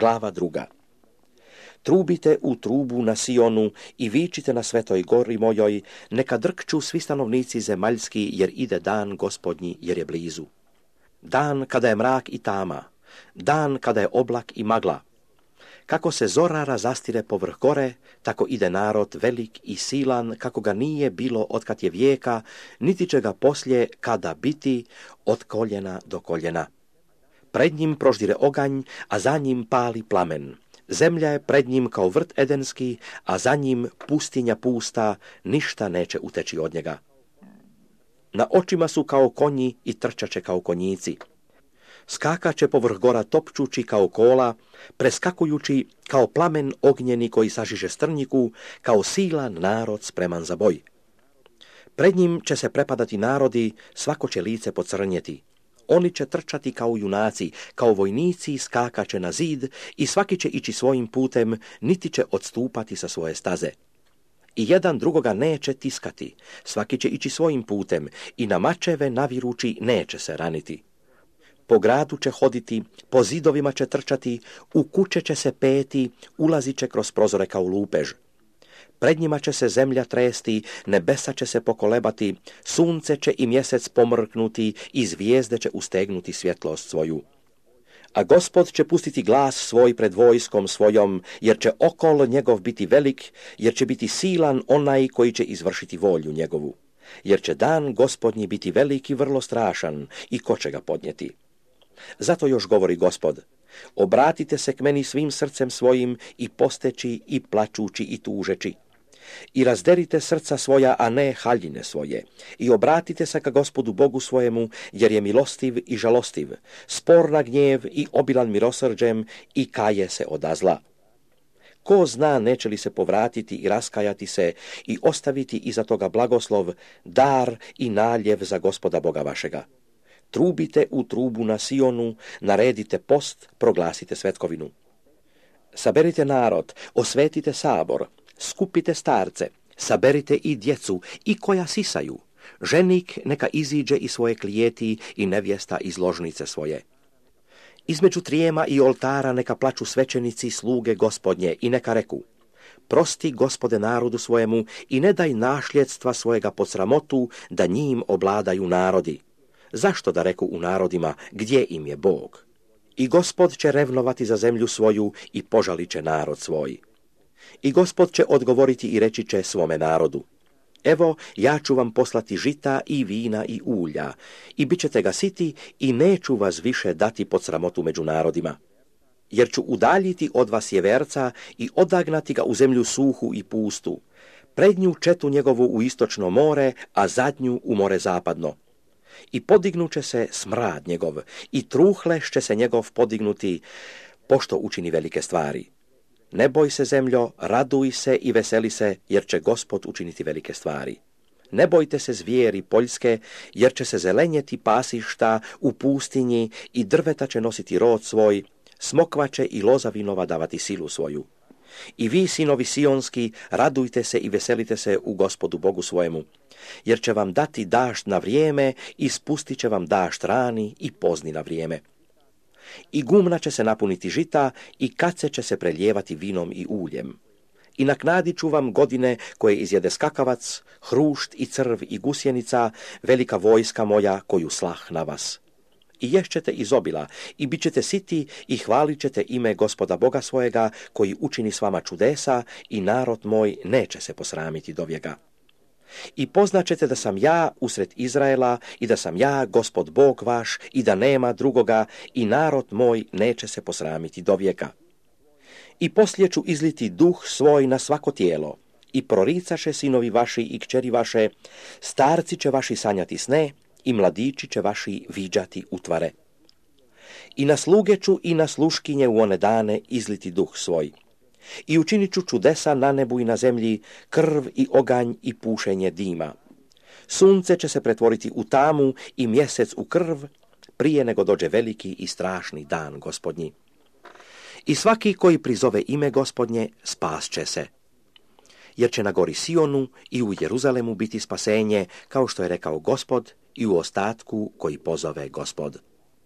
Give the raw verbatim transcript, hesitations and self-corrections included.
Glava druga. Trubite u trubu na Sionu i vičite na svetoj gori mojoj, neka drkću svi stanovnici zemaljski, jer ide dan Gospodnji, jer je blizu. Dan kada je mrak i tama, dan kada je oblak i magla. Kako se zora razastire povrh gore, tako ide narod velik i silan, kako ga nije bilo otkad je vijeka, niti će ga poslije kada biti od koljena do koljena. Pred njim proždire oganj, a za njim pali plamen. Zemlja je pred njim kao vrt edenski, a za njim pustinja pusta, ništa neće uteći od njega. Na očima su kao konji i trčaće kao konjici. Skakaće povrh gora topčući kao kola, preskakujući kao plamen ognjeni koji sažiže strnjiku, kao silan narod spreman za boj. Pred njim će se prepadati narodi, svako će lice pocrnjeti. Oni će trčati kao junaci, kao vojnici skakaće na zid i svaki će ići svojim putem, niti će odstupati sa svoje staze. I jedan drugoga neće tiskati, svaki će ići svojim putem i na mačeve navirući neće se raniti. Po gradu će hoditi, po zidovima će trčati, u kuće će se peti, ulazit će kroz prozore kao lupež. Pred njima će se zemlja tresti, nebesa će se pokolebati, sunce će i mjesec pomrknuti i zvijezde će ustegnuti svjetlost svoju. A Gospod će pustiti glas svoj pred vojskom svojom, jer će okol njegov biti velik, jer će biti silan onaj koji će izvršiti volju njegovu. Jer će dan Gospodnji biti velik i vrlo strašan, i ko će ga podnijeti. Zato još govori Gospod: obratite se k meni svim srcem svojim i posteći i plačući i tužeći. I razderite srca svoja, a ne haljine svoje. I obratite se ka Gospodu Bogu svojemu, jer je milostiv i žalostiv, spor na gnjev i obilan milosrđem i kaje se od zla. Ko zna neće li se povratiti i raskajati se i ostaviti iza toga blagoslov, dar i naljev za Gospoda Boga vašega. Trubite u trubu na Sionu, naredite post, proglasite svetkovinu. Saberite narod, osvetite sabor, skupite starce, saberite i djecu, i koja sisaju. Ženik neka iziđe iz svoje klijeti i nevjesta iz ložnice svoje. Između trijema i oltara neka plaču svećenici sluge Gospodnje i neka reku: prosti Gospode narodu svojemu i ne daj našljedstva svojega pod sramotu, da njim obladaju narodi. Zašto da reku u narodima, gdje im je Bog? I Gospod će revnovati za zemlju svoju i požalit će narod svoj. I Gospod će odgovoriti i reći će svome narodu: evo, ja ću vam poslati žita i vina i ulja, i bit ćete ga siti i neću vas više dati pod sramotu među narodima. Jer ću udaljiti od vas jeverca i odagnati ga u zemlju suhu i pustu, prednju četu njegovu u istočno more, a zadnju u more zapadno. I podignuće se smrad njegov, i truhleš će se njegov podignuti, pošto učini velike stvari. Ne boj se, zemljo, raduj se i veseli se, jer će Gospod učiniti velike stvari. Ne bojte se, zvijeri poljske, jer će se zelenjeti pasišta u pustinji i drveta će nositi rod svoj, smokva će i loza vinova davati silu svoju. I vi, sinovi sionski, radujte se i veselite se u Gospodu Bogu svojemu, jer će vam dati dašt na vrijeme i spustit će vam dašt rani i pozni na vrijeme. I gumna će se napuniti žita i kace će se preljevati vinom i uljem. I naknadit ću vam godine koje izjede skakavac, hrušt i crv i gusjenica, velika vojska moja koju slah na vas. I ješćete iz obila i bit ćete siti i hvalit ćete ime Gospoda Boga svojega koji učini s vama čudesa i narod moj neće se posramiti dovijeka. I poznaćete da sam ja usred Izraela i da sam ja Gospod Bog vaš i da nema drugoga i narod moj neće se posramiti dovijeka. I poslije ću izliti duh svoj na svako tijelo i proricaše sinovi vaši i kćeri vaše, starci će vaši sanjati sne i mladići će vaši viđati utvare. I na sluge ću i na sluškinje u one dane izliti duh svoj. I učinit ću čudesa na nebu i na zemlji, krv i oganj i pušenje dima. Sunce će se pretvoriti u tamu i mjesec u krv, prije nego dođe veliki i strašni dan Gospodnji. I svaki koji prizove ime Gospodnje spas će se. Jer će na gori Sionu i u Jeruzalemu biti spasenje, kao što je rekao Gospod, i u ostatku koji pozove Gospod.